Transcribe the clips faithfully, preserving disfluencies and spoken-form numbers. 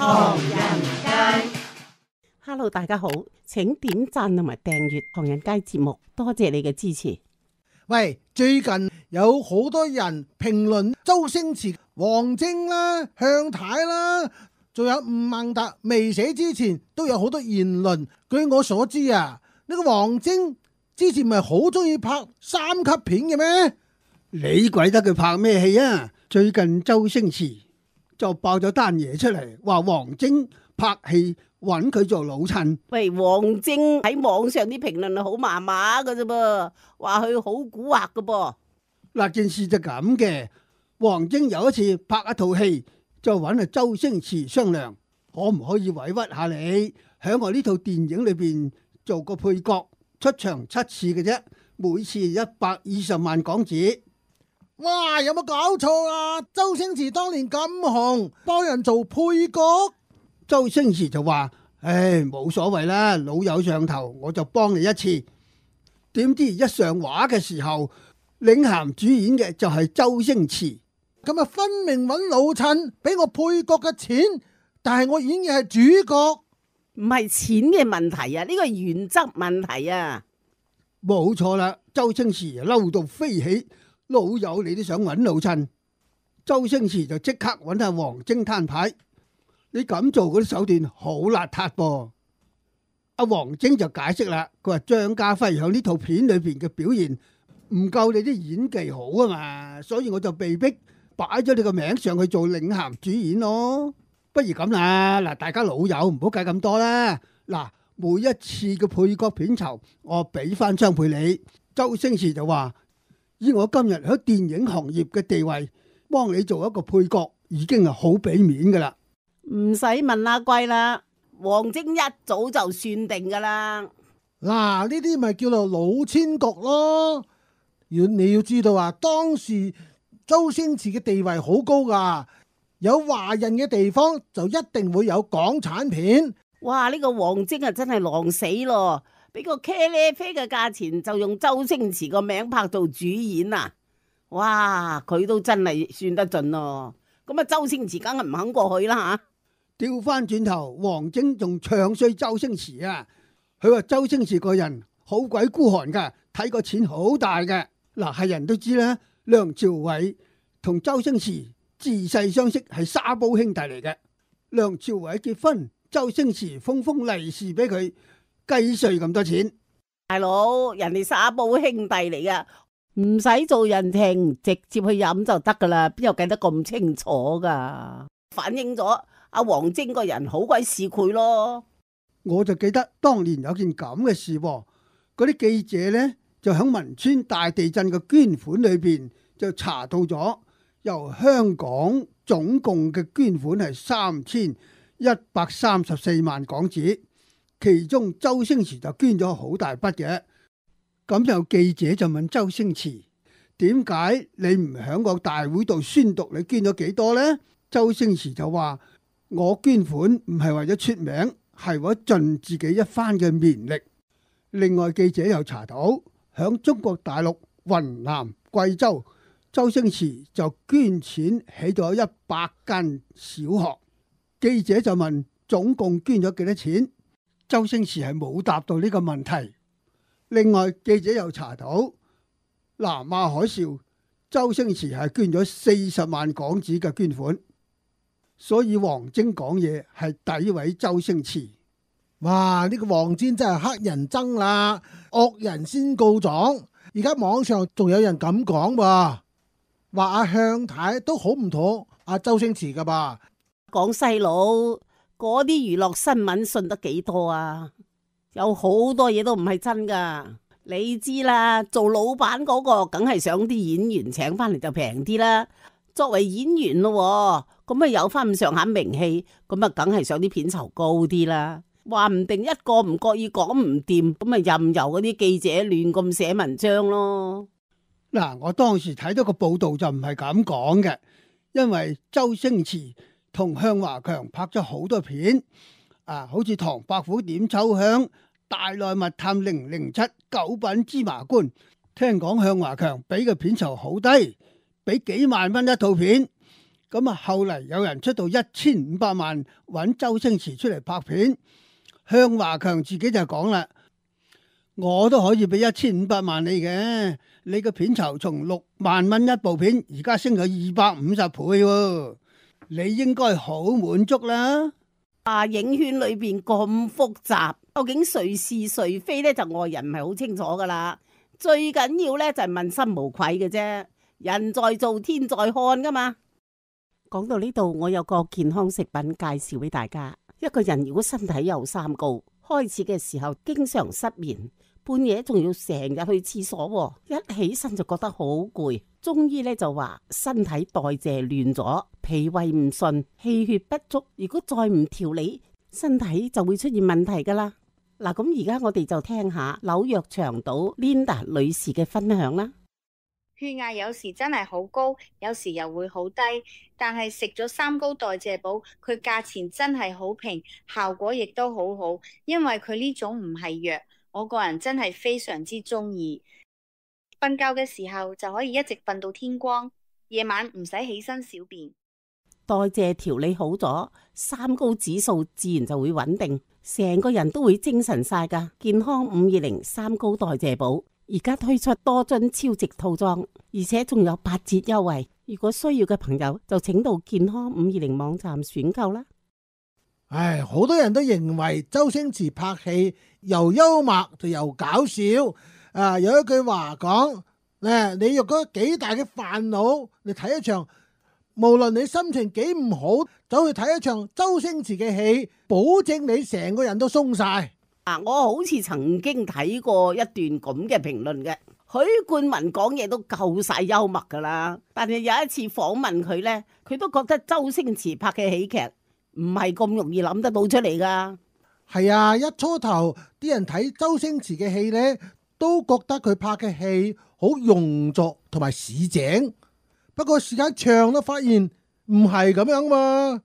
唐人街。Hello， 大家好，請點讚同埋訂閱唐人街節目，多謝你嘅支持。喂，最近有好多人評論周星馳、王晶啦、向太啦，仲有吳孟達未死之前都有好多言論。據我所知啊，呢個王晶之前咪好中意拍三級片嘅咩？你鬼得佢拍咩戲啊？最近周星馳就爆咗單嘢出嚟，話王晶拍戲揾佢做老襯。喂，王晶喺網上啲評論係好麻麻㗎啫噃，話佢好蠱惑㗎噃。嗱，件事就咁嘅，王晶有一次拍一套戲，就揾阿周星馳商量，可唔可以委屈下你，喺我呢套電影裏邊做個配角，出場七次嘅啫，每次一百二十萬港紙。哇，有冇搞錯啊？周星馳當年咁紅，幫人做配角。周星馳就話：唉，冇所謂啦，老友上頭，我就幫你一次。點知一上畫嘅時候，領銜主演嘅就係周星馳。咁啊，分明揾老襯俾我配角嘅錢，但係我演嘅係主角。唔係錢嘅問題啊，呢個係原則問題啊。冇錯啦，周星馳嬲到飛起，老友你都想揾老襯，周星馳就即刻揾下王晶攤牌。你咁做嗰啲手段好邋遢噃。阿王晶就解釋啦，佢話張家輝喺呢套片裏邊嘅表現唔夠你啲演技好啊嘛，所以我就被逼擺咗你個名上去做領銜主演咯。不如咁啦，嗱，大家老友唔好計咁多啦。嗱，每一次嘅配角片酬，我俾翻張配你。周星馳就話：以我今日喺電影行業嘅地位，幫你做一個配角已經係好俾面噶啦。唔使問阿貴啦，王晶一早就算定噶啦。嗱，呢啲咪叫做老千局咯。要你要知道啊，當時周星馳嘅地位好高噶，有華人嘅地方就一定會有港產片。哇！呢個王晶啊真係狼死咯，俾個茄喱啡嘅價錢就用周星馳個名拍做主演啊！哇，佢都真係算得盡咯。咁啊，周星馳梗係唔肯過去啦吓。調翻轉頭，王晶仲唱衰周星馳啊！佢話周星馳個人好鬼孤寒噶，睇個錢好大嘅。嗱，係人都知啦，梁朝偉同周星馳自細相識，係沙煲兄弟嚟嘅。梁朝偉結婚，周星馳封封利是俾佢計稅咁多錢。大佬，人哋沙煲兄弟嚟噶，唔使做人情，直接去飲就得噶啦，邊有計得咁清楚噶？反映咗阿王晶個人好鬼市儈咯。我就記得當年有件咁嘅事，嗰啲記者呢，就喺汶川大地震嘅捐款裏邊就查到咗，由香港總共嘅捐款係三千一百三十四萬港紙，其中周星馳就捐咗好大筆嘅。咁有記者就問周星馳：點解你唔喺個大會度宣讀你捐咗幾多呢？周星馳就話：我捐款唔係為咗出名，係為咗盡自己一番嘅綿力。另外記者又查到，響中國大陸雲南、貴州，周星馳就捐錢起咗一百間小學。記者就問總共捐咗幾多錢，周星馳係冇答到呢個問題。另外記者又查到南亞海嘯，周星馳係捐咗四十萬港紙嘅捐款。所以王晶講嘢係詆毀周星馳。哇！呢個王晶真係黑人憎啦，惡人先告狀。而家網上仲有人咁講喎，話阿向太都好唔妥阿周星馳噶吧？講細佬，嗰啲娛樂新聞信得幾多啊？有好多嘢都唔係真噶。你知啦，做老闆嗰個梗係想啲演員請翻嚟就平啲啦。作為演員咯，咁啊有翻咁上下名氣，咁啊梗係想啲片酬高啲啦。話唔定一個唔覺意講唔掂，咁啊任由嗰啲記者亂咁寫文章咯。嗱，我當時睇到個報道就唔係咁講嘅，因為周星馳同向華強拍咗好多片，啊，好似《唐伯虎點秋香》、《大內密探零零七》、《九品芝麻官》。聽講向華強俾嘅片酬好低，俾幾萬蚊一套片。咁啊，後嚟有人出到一千五百萬揾周星馳出嚟拍片，向華強自己就講啦，我都可以俾一千五百萬你嘅，你個片酬從六萬蚊一部片，而家升咗二百五十倍喎，你應該好滿足啦。啊，影圈裏邊咁複雜，究竟誰是誰非呢？就外人唔係好清楚噶啦。最緊要呢，就係問心無愧嘅啫，人在做天在看噶嘛。講到呢度，我有個健康食品介紹俾大家。一個人如果身體有三高，開始嘅時候經常失眠，半夜仲要成日去廁所，一起身就覺得好攰。中醫咧就話身體代謝亂咗，脾胃唔順，氣血不足。如果再唔調理，身體就會出現問題噶啦。嗱，咁而家我哋就聽下紐約長島 Linda 女士嘅分享啦。血壓有時真係好高，有時又會好低，但係食咗三高代謝寶，佢價錢真係好平，效果亦都好好，因為佢呢種唔係藥，我個人真係非常之中意。瞓覺嘅時候就可以一直瞓到天光，夜晚唔使起身小便。代謝調理好咗，三高指數自然就會穩定，成個人都會精神晒噶。健康五二零三高代謝寶而家推出多樽超值套裝，而且仲有八折優惠。如果需要嘅朋友就請到健康五二零網站選購啦。唉，好多人都認為周星馳拍戲又幽默就又搞笑。啊，有一句話講，誒，你若果幾大嘅煩惱，你睇一場，無論你心情幾唔好，走去睇一場周星馳嘅戲，保證你成個人都鬆晒。啊，我好似曾經睇過一段咁嘅評論嘅，許冠文講嘢都夠晒幽默噶啦，但係有一次訪問佢呢，佢都覺得周星馳拍嘅喜劇唔係咁容易諗得到出嚟噶。係啊，一初頭啲人睇周星馳嘅戲呢，都覺得佢拍嘅戲好庸俗同埋市井。不過時間長都發現唔係咁樣嘛。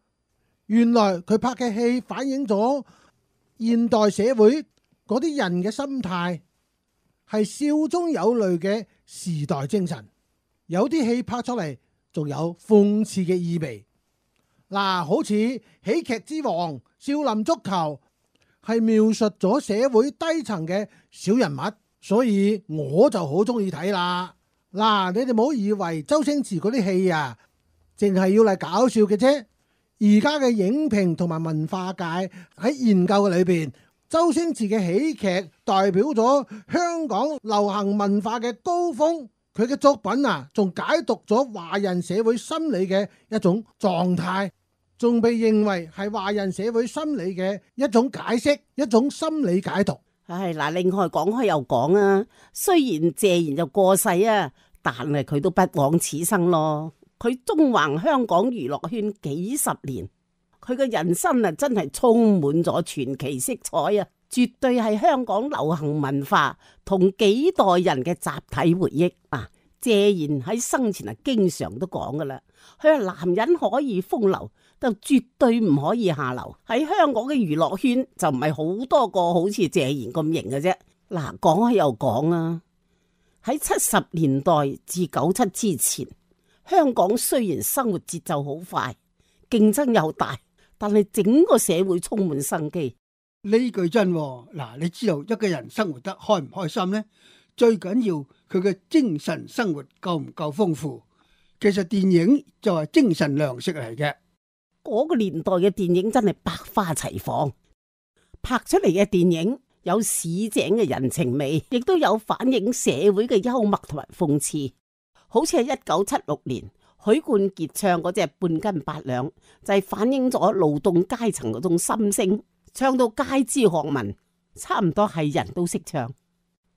原來佢拍嘅戲反映咗現代社會嗰啲人嘅心態，係笑中有淚嘅時代精神。有啲戲拍出嚟仲有諷刺嘅意味。嗱，好似喜劇之王少林足球係描述咗社會低層嘅小人物，所以我就好中意睇啦。嗱，你哋唔好以為周星馳嗰啲戲啊，淨係要嚟搞笑嘅啫。而家嘅影評同埋文化界喺研究嘅裏邊，周星馳嘅喜劇代表咗香港流行文化嘅高峰。佢嘅作品啊，仲解讀咗華人社會心理嘅一種狀態，仲被認為係華人社會心理嘅一種解釋，一種心理解讀。唉，嗱，另外講開又講啊，雖然謝賢就過世啊，但係佢都不枉此生咯。佢縱橫香港娛樂圈幾十年，佢嘅人生啊真係充滿咗傳奇色彩啊！絕對係香港流行文化同幾代人嘅集體回憶啊！謝賢喺生前啊經常都講噶啦，佢話男人可以風流，就絕對唔可以下流。喺香港嘅娛樂圈就唔係好多個好似謝賢咁型嘅啫。嗱，講開又講啊，喺七十年代至九七之前，香港雖然生活節奏好快，競爭又大，但係整個社會充滿生機。呢句真喎。嗱，你知道一個人生活得開唔開心呢？最緊要佢嘅精神生活夠唔夠豐富。其實電影就係精神糧食嚟嘅。嗰個年代嘅電影真係百花齊放，拍出嚟嘅電影有市井嘅人情味，亦都有反映社會嘅幽默同埋諷刺。好似係一九七六年許冠傑唱嗰隻半斤八兩，就係反映咗勞動階層嗰種心聲，唱到街知巷聞，差唔多係人都識唱。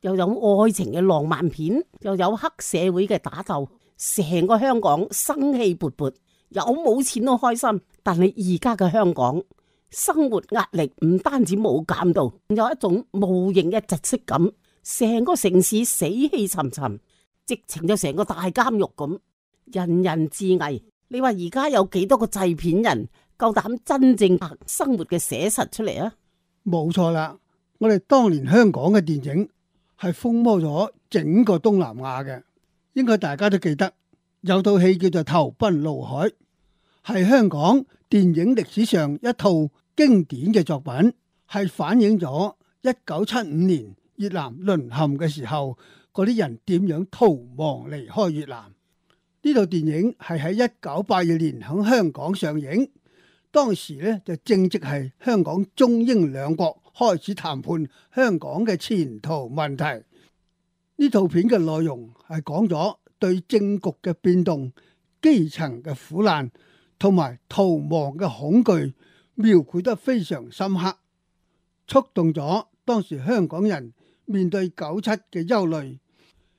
又有愛情嘅浪漫片，又有黑社會嘅打鬥，成個香港生氣勃勃，有冇錢都開心。但係而家嘅香港生活壓力唔單止冇減到，有一種無形嘅窒息感，成個城市死氣沉沉，直情就成個大監獄咁，人人自危。你話而家有幾多個製片人夠膽真正拍生活嘅寫實出嚟啊？冇錯啦，我哋當年香港嘅電影係風靡咗整個東南亞嘅，應該大家都記得有套戲叫做《投奔怒海》，係香港電影歷史上一套經典嘅作品，係反映咗一九七五年越南淪陷嘅時候，嗰啲人點樣逃亡離開越南。呢套電影係喺一九八二年喺香港上映，當時咧就正值係香港中英兩國開始談判香港嘅前途問題。呢套片嘅內容係講咗對政局嘅變動、基層嘅苦難同埋逃亡嘅恐懼描繪得非常深刻，觸動咗當時香港人面對九七嘅憂慮，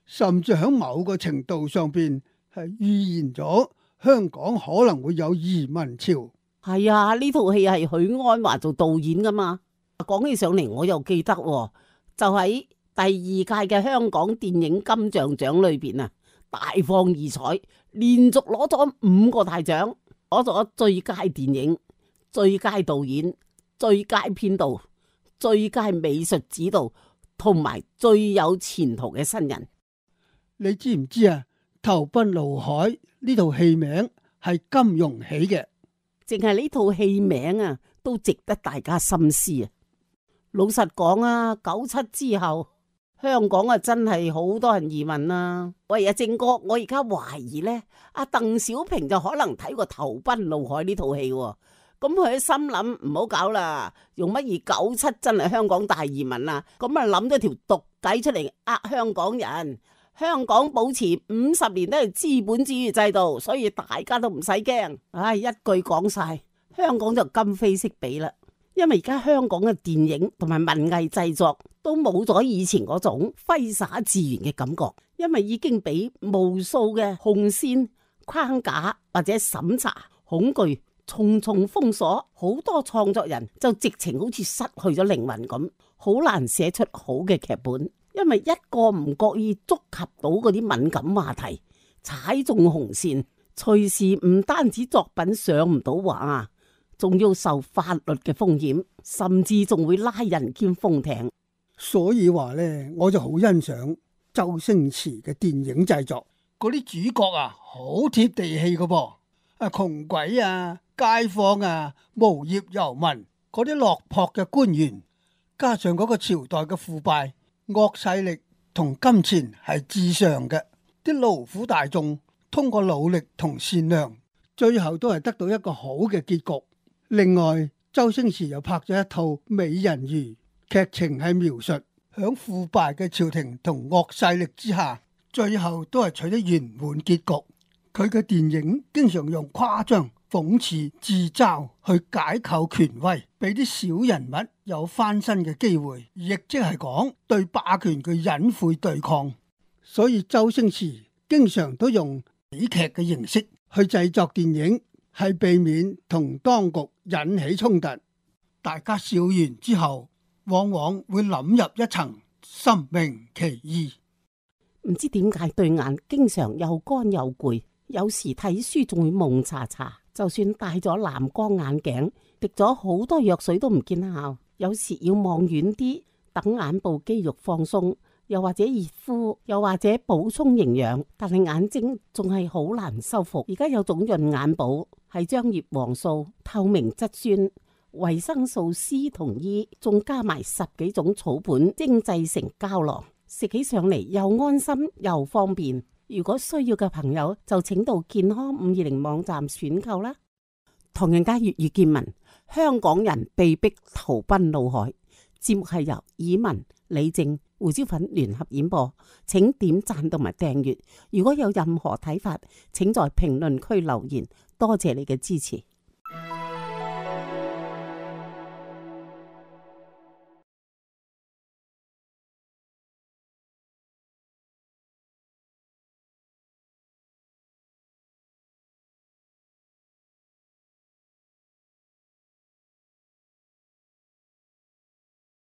甚至喺某個程度上邊係預言咗香港可能會有移民潮。係啊，呢套戲係許鞍華做導演噶嘛。講起上嚟，我又記得、哦，就喺第二屆嘅香港電影金像獎裏邊啊，大放異彩，連續攞咗五個大獎，攞咗最佳電影、最佳導演、最佳編導、最佳美術指導同埋最有前途嘅新人。你知唔知啊？投奔怒海呢套戲名係金庸起嘅，淨係呢套戲名啊，都值得大家深思啊！老實講啊，九七之後香港啊真係好多人移民啊。喂啊，正哥，我而家懷疑呢，阿鄧小平就可能睇過《投奔怒海》呢套戲，咁佢心諗唔好搞啦，用乜而九七真係香港大移民啊？咁啊諗咗條毒計出嚟呃香港人。香港保持五十年都係資本主義制度，所以大家都唔使驚。唉，一句講晒，香港就今非昔比啦。因為而家香港嘅電影同埋文藝製作都冇咗以前嗰種揮灑自然嘅感覺，因為已經俾無數嘅紅線框架或者審查恐懼重重封鎖，好多創作人就直情好似失去咗靈魂咁，好難寫出好嘅劇本。因為一個唔覺意觸及到嗰啲敏感話題，踩中紅線，隨時唔單止作品上唔到畫，仲要受法律嘅風險，甚至仲會拉人兼封艇。所以話呢，我就好欣賞周星馳嘅電影製作，嗰啲主角啊，好貼地氣噶噃，啊窮鬼啊、街坊啊、無業遊民，嗰啲落魄嘅官員，加上嗰個朝代嘅腐敗。惡勢力同金錢係至上嘅，啲勞苦大眾通過努力同善良，最後都係得到一個好嘅結局。另外，周星馳又拍咗一套《美人魚》，劇情係描述響腐敗嘅朝廷同惡勢力之下，最後都係取得圓滿結局。佢嘅電影經常用誇張、諷刺、自嘲去解構權威，俾啲小人物有翻身嘅機會，亦即係講對霸權嘅隱晦對抗。所以周星馳經常都用喜劇嘅形式去製作電影，係避免同當局引起衝突。大家笑完之後，往往會諗入一層，心明其意。唔知點解對眼經常又乾又攰，有時睇書仲會蒙查查。就算戴咗藍光眼鏡，滴咗好多藥水都唔見效。有時要望遠啲，等眼部肌肉放鬆，又或者熱敷，又或者補充營養，但係眼睛仲係好難修復。而家有種潤眼寶，係將葉黃素、透明質酸、維生素 C 同 E， 仲加埋十幾種草本精製成膠囊，食起上嚟又安心又方便。如果需要嘅朋友就請到健康五二零網站選購啦。唐人街粵語見聞，香港人被逼投奔怒海。節目係由以文、李正、胡椒粉聯合演播，請點讚同埋訂閱。如果有任何睇法，請在評論區留言。多謝你嘅支持。